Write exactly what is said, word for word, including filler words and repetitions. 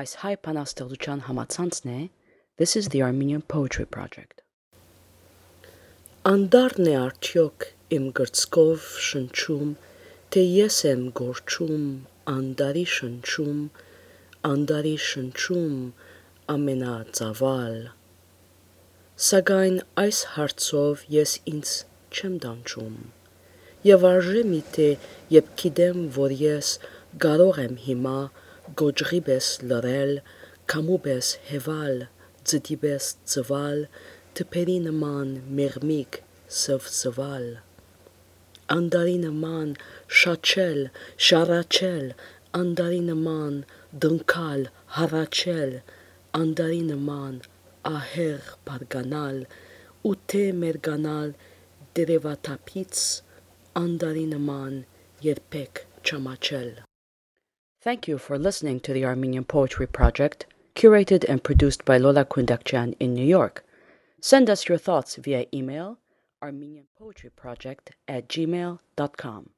Այս հայ բանաստեղծության համացանցն է This is the Armenian Poetry Project. Անդառն է արդյոք իմ գրծքով շնչում, թե ես եմ գորչում, անդարի շնչում, անդարի շնչում, ամենածավալ։ Սակայն այս հարցով ես ինձ չեմ դանչում, եւ արժե միթե, երբ գիտեմ, որ ես կարող եմ հիմա գոճղի պես լռել, քամու պես հեվալ, ձդի պես ծվալ, թփերի նման մեղմիկ սվսվալ, անդարի նման շաչել, շառաչել, անդարի նման դնքալ, հառաչել, անդարի նման ահեղ բարձրանալ, ու թե մերկանալ տերևաթափից, անդարի նման երբեք չամաչել։ Thank you for listening to the Armenian Poetry Project, curated and produced by Lola Kundakjian in New York. Send us your thoughts via email armenian poetry project at gmail dot com.